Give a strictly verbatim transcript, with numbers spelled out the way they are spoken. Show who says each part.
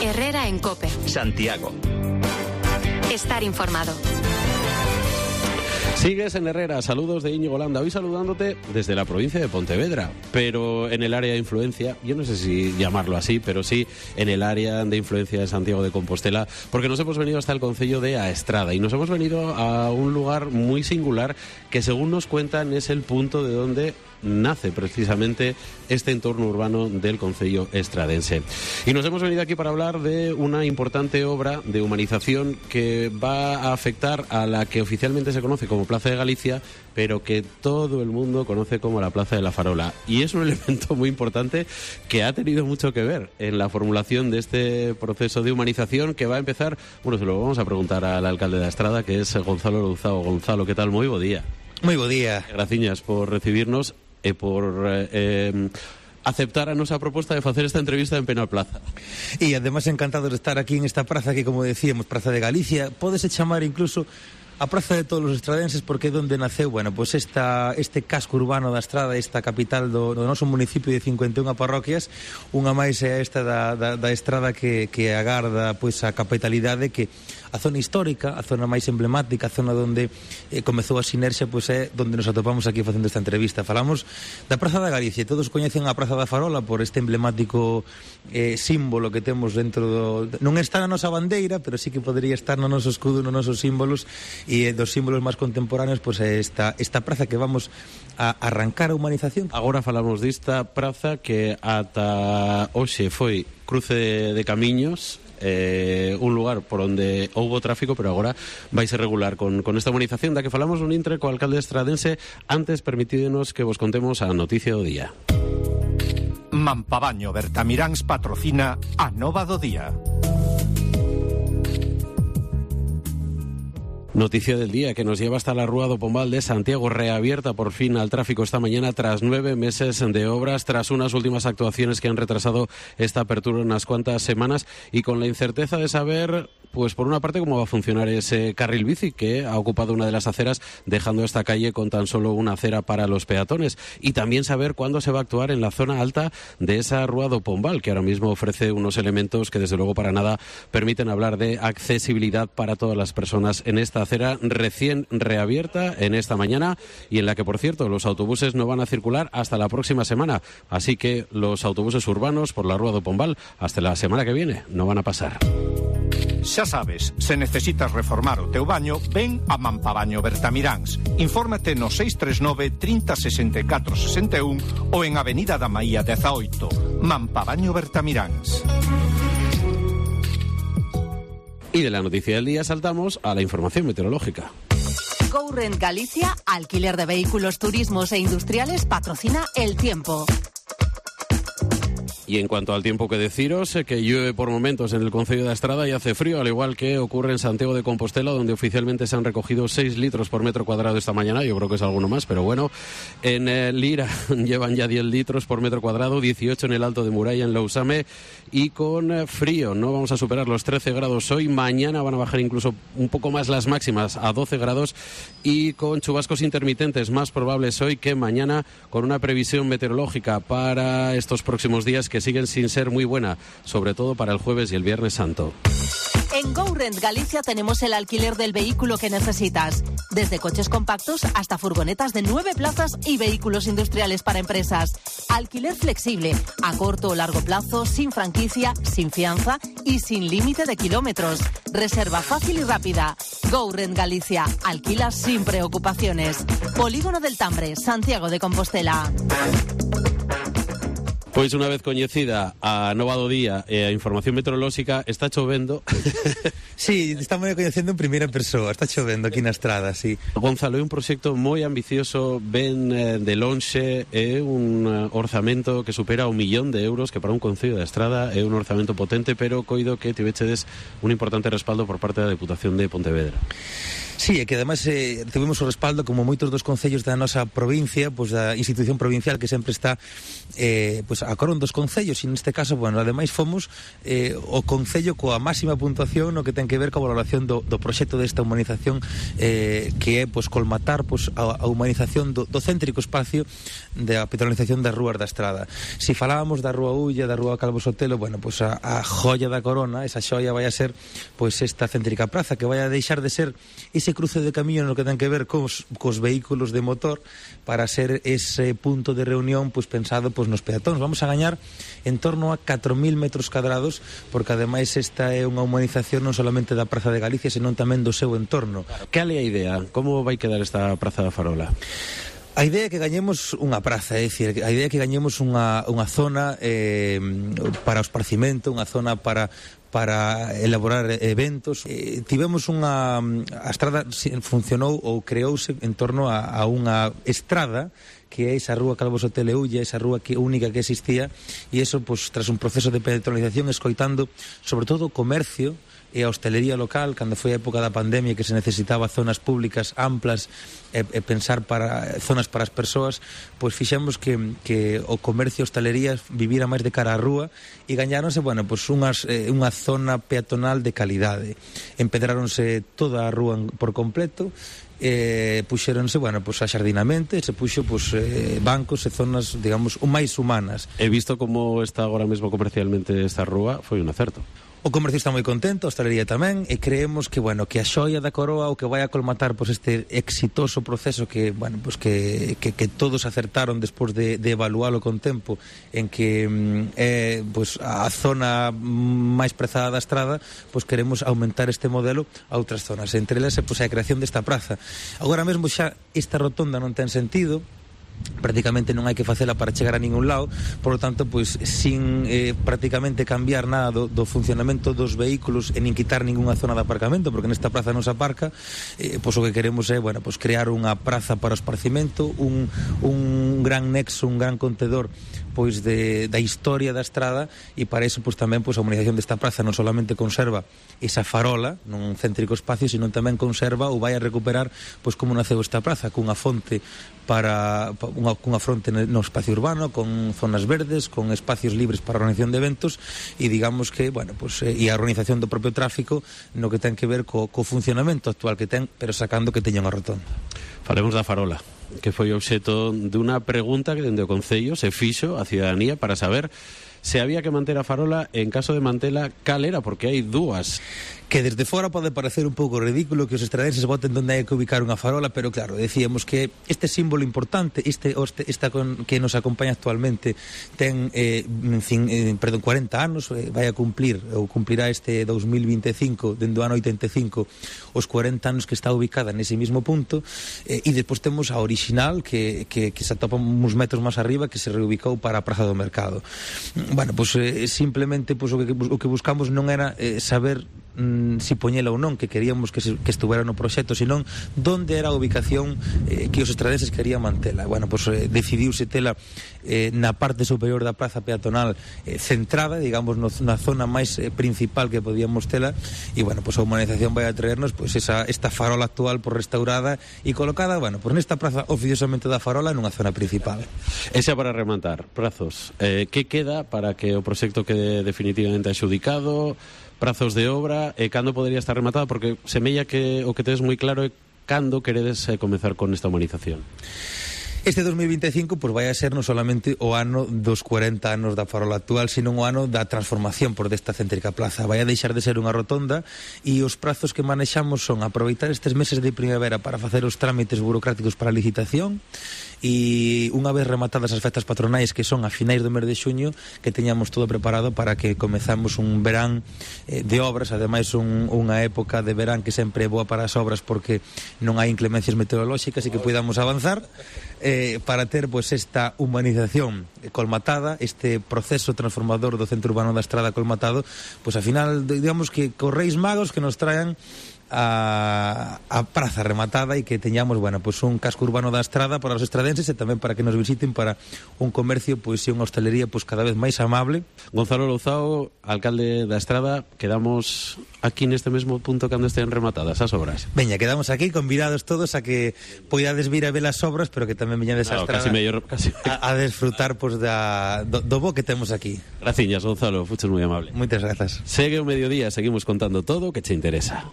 Speaker 1: Herrera en COPE.
Speaker 2: Santiago.
Speaker 1: Estar informado.
Speaker 3: Sigues en Herrera, saludos de Íñigo Landa, hoy saludándote desde la provincia de Pontevedra, pero en el área de influencia, yo no sé si llamarlo así, pero sí en el área de influencia de Santiago de Compostela, porque nos hemos venido hasta el concello de Aestrada y nos hemos venido a un lugar muy singular que, según nos cuentan, es el punto de donde nace precisamente este entorno urbano del concello estradense. Y nos hemos venido aquí para hablar de una importante obra de humanización que va a afectar a la que oficialmente se conoce como Plaza de Galicia, pero que todo el mundo conoce como la Plaza de la Farola. Y es un elemento muy importante que ha tenido mucho que ver en la formulación de este proceso de humanización que va a empezar, bueno, se lo vamos a preguntar al alcalde de Aestrada, que es Gonzalo Louzao. Gonzalo, ¿qué tal? Muy buen día.
Speaker 4: Muy buen día.
Speaker 3: Graciñas por recibirnos e por eh, eh, aceptar a nosa proposta de facer esta entrevista en Penal Plaza.
Speaker 4: E además encantado de estar aquí en esta praza que, como decíamos, Praza de Galicia, pódese chamar incluso a Praza de todos os estradenses, porque é onde naceu, bueno, pois pues esta, este casco urbano da Estrada, esta capital do, do noso municipio de cincuenta e unha parroquias, unha máis é esta da, da, da Estrada que, que agarda pois a capitalidade, que a zona histórica, a zona máis emblemática, a zona onde eh, comezou a sinerxia, pois é onde nos atopamos aquí facendo esta entrevista. Falamos da Praza da Galicia, todos coñecen a Praza da Farola por este emblemático eh, símbolo que temos dentro do... Non está na nosa bandeira, pero sí que podría estar no noso escudo, nos nosos símbolos, e dos símbolos máis contemporáneos, pois é esta, esta praza que vamos a arrancar a humanización.
Speaker 3: Agora falamos desta praza que ata hoxe foi cruce de, de camiños, eh, un lugar por onde houbo tráfico, pero agora vai ser regular con, con esta humanización da que falamos un intre co alcalde estradense. Antes, permitídenos que vos contemos a noticia do día.
Speaker 5: Mampabaño Bertamiráns patrocina a nova do día.
Speaker 3: Noticia del día que nos lleva hasta la Rúa do Pombal de Santiago, reabierta por fin al tráfico esta mañana tras nueve meses de obras, tras unas últimas actuaciones que han retrasado esta apertura unas cuantas semanas y con la incerteza de saber, pues por una parte, cómo va a funcionar ese carril bici que ha ocupado una de las aceras, dejando esta calle con tan solo una acera para los peatones, y también saber cuándo se va a actuar en la zona alta de esa Rúa do Pombal, que ahora mismo ofrece unos elementos que desde luego para nada permiten hablar de accesibilidad para todas las personas en esta acera recién reabierta en esta mañana y en la que, por cierto, los autobuses no van a circular hasta la próxima semana. Así que los autobuses urbanos por la Rúa do Pombal hasta la semana que viene no van a pasar.
Speaker 5: Xa sabes, se necesitas reformar o teu baño, ven a Mampabaño Bertamiráns. Infórmate no seis tres nove, trinta, sesenta e catro, sesenta e un ou en Avenida da Maía dezaoito. Mampabaño Bertamiráns.
Speaker 3: Y de la noticia del día saltamos a la información meteorológica.
Speaker 1: GoRent Galicia, alquiler de vehículos, turismos e industriales, patrocina el tiempo.
Speaker 3: Y en cuanto al tiempo, que deciros, eh, que llueve por momentos en el concello de Aestrada y hace frío, al igual que ocurre en Santiago de Compostela, donde oficialmente se han recogido seis litros por metro cuadrado esta mañana. Yo creo que es alguno más, pero bueno. En eh, Lira llevan ya diez litros por metro cuadrado, dieciocho en el Alto de Muralla, en Lousame, y con eh, frío. No vamos a superar los trece grados hoy. Mañana van a bajar incluso un poco más las máximas, a doce grados, y con chubascos intermitentes más probables hoy que mañana, con una previsión meteorológica para estos próximos días que siguen sin ser muy buena, sobre todo para el jueves y el viernes santo.
Speaker 1: En GoRent Galicia tenemos el alquiler del vehículo que necesitas, desde coches compactos hasta furgonetas de nueve plazas y vehículos industriales para empresas. Alquiler flexible, a corto o largo plazo, sin franquicia, sin fianza y sin límite de kilómetros. Reserva fácil y rápida. GoRent Galicia, alquila sin preocupaciones. Polígono del Tambre, Santiago de Compostela.
Speaker 3: Pois unha vez coñecida a nova do día e a información meteorolóxica, está chovendo.
Speaker 4: Sí, estamos coñecendo en primeira persoa, está chovendo aquí na Estrada, sí.
Speaker 3: Gonzalo, é un proxecto moi ambicioso, ben eh, de lonxe, é un uh, orzamento que supera un millón de euros, que para un concello da Estrada é un orzamento potente, pero coido que tivechedes un importante respaldo por parte da Deputación de Pontevedra.
Speaker 4: Sí, e que ademais eh, tuvimos o respaldo, como moitos dos concellos da nosa provincia, pois da institución provincial que sempre está eh, pois a carón dos concellos, e neste caso, bueno, ademais fomos eh, o concello coa máxima puntuación no que ten que ver coa valoración do, do proxecto desta humanización eh, que é pois colmatar pois, a, a humanización do, do céntrico espacio da peatonalización das rúas da Estrada. Si falábamos da Rúa Ulla, da Rúa Calvo Sotelo, bueno, pois a, a joia da corona, esa xoia vai a ser pois esta céntrica praza que vai a deixar de ser ese cruce de camiño no que ten que ver cos, cos vehículos de motor para ser ese punto de reunión pois pensado pois nos peatóns. Vamos a gañar en torno a catro mil metros cadrados, porque ademais esta é unha humanización non solamente da Praza de Galicia, senón tamén do seu entorno.
Speaker 3: Cal é a idea? Como vai quedar esta Praza da Farola?
Speaker 4: A idea é que gañemos unha praza, é dicir, a idea é que gañemos unha, unha zona eh, para o esparcimento, unha zona para para elaborar eventos. Eh, tivemos unha... A estrada funcionou ou creouse en torno a, a unha estrada que é esa rúa Calvo Sotelo e Ulla, esa rúa que, única que existía, e eso, pues, tras un proceso de peatonalización, escoitando sobre todo o comercio e a hostelería local, cando foi a época da pandemia que se necesitaba zonas públicas amplas e, e pensar para zonas para as persoas, pois fixemos que, que o comercio e a hostelería vivira máis de cara á rúa e gañáronse, bueno, pois unhas, eh, unha zona peatonal de calidade. Empedráronse toda a rúa por completo, eh, puxéronse, bueno, pois axardinamento, e se puxo pois, eh, bancos e zonas, digamos, máis humanas.
Speaker 3: He visto como está agora mesmo comercialmente esta rúa, foi un acerto.
Speaker 4: O comercio está moi contento, a hostelería tamén, e creemos que, bueno, que a xoia da coroa o que vai a colmatar pois, este exitoso proceso que, bueno, pois, que, que, que todos acertaron despois de, de evalualo con tempo, en que é pois, a zona máis prezada da estrada, pois queremos aumentar este modelo a outras zonas, entre elas pois, a creación desta praza. Agora mesmo xa esta rotonda non ten sentido, prácticamente non hai que facela para chegar a ningún lado, por lo tanto, pois sin eh, prácticamente cambiar nada do, do funcionamento dos vehículos e nin quitar ninguna zona de aparcamento, porque nesta praza non se aparca, eh, pois o que queremos é, bueno, pois crear unha praza para o esparcimento, un, un gran nexo, un gran contedor pois de, da historia da estrada, e para iso pois tamén pois a humanización desta praza non solamente conserva esa farola nun céntrico espacio, sino tamén conserva ou vai a recuperar pois como naceu esta praza, cunha fonte para unha, cunha fronte no espacio urbano, con zonas verdes, con espacios libres para a organización de eventos, e digamos que, bueno, pois e a organización do propio tráfico no que ten que ver co, co funcionamento actual que ten, pero sacando que teña unha rotonda.
Speaker 3: Falemos da farola, que foi obxeto de unha pregunta que dende o Concello se fixo a ciudadanía para saber se había que manter a farola, en caso de mantela, cal era, porque hai dúas.
Speaker 4: Que desde fora pode parecer un pouco ridículo que os estradenses voten donde hai que ubicar unha farola, pero claro, decíamos que este símbolo importante, este, este esta con, que nos acompaña actualmente, ten eh, cin, eh, perdón, cuarenta anos, eh, vai a cumplir, ou cumplirá este dos mil vinte e cinco, dende o ano oitenta e cinco, os cuarenta anos que está ubicada nese mismo punto, eh, e despois temos a original, que, que, que se atopa uns metros máis arriba, que se reubicou para a Praza do Mercado. Bueno, pois pues, eh, simplemente pues, o, que, o que buscamos non era eh, saber mm, si poñela ou non, que queríamos que, se, que estuvera no proxecto, senón donde era a ubicación eh, que os estradenses querían mantela. Bueno, pois pues, eh, decidiuse tela eh, na parte superior da praza peatonal eh, centrada, digamos, no, na zona máis eh, principal que podíamos tela, e, bueno, pois pues, a humanización vai a traernos pois, pues, esa, esta farola actual por restaurada e colocada, bueno, pois pues, nesta praza oficiosamente da farola nunha zona principal.
Speaker 3: Esa para rematar, prazos. Eh, que queda para que o proxecto quede definitivamente axudicado? Prazos de obra, e cando podería estar rematada, porque semella que o que tedes moi claro é cando queredes eh, comezar con esta humanización.
Speaker 4: Este dos mil vinte e cinco pues, vai a ser non solamente o ano dos cuarenta anos da farola actual, sino o ano da transformación por desta céntrica plaza. Vai a deixar de ser unha rotonda, e os prazos que manexamos son aproveitar estes meses de primavera para facer os trámites burocráticos para a licitación, e unha vez rematadas as festas patronais, que son a finais do mes de xuño, que teñamos todo preparado para que comezamos un verán eh, de obras, ademais un, unha época de verán que sempre é boa para as obras porque non hai inclemencias meteorolóxicas, e que podamos avanzar eh, para ter pues, esta humanización colmatada, este proceso transformador do centro urbano da Estrada colmatado, pois pues, a final, digamos que correis magos que nos traen a, a praza rematada e que teñamos, bueno, pues un casco urbano da Estrada para os estradenses e tamén para que nos visiten, para un comercio pois, e unha hostelería pois, cada vez máis amable.
Speaker 3: Gonzalo Louzao, alcalde da Estrada, quedamos aquí neste mesmo punto cando estén rematadas as obras.
Speaker 4: Veña, quedamos aquí convidados todos a que poidades vir a ver as obras, pero que tamén veñades a
Speaker 3: Claro,
Speaker 4: Estrada
Speaker 3: casi mellor, casi...
Speaker 4: a, a desfrutar pois, da, do, do bo que temos aquí.
Speaker 3: Graciñas, Gonzalo, fuches moi amable.
Speaker 4: Moitas grazas.
Speaker 3: Segue o mediodía, seguimos contando todo o que che interesa.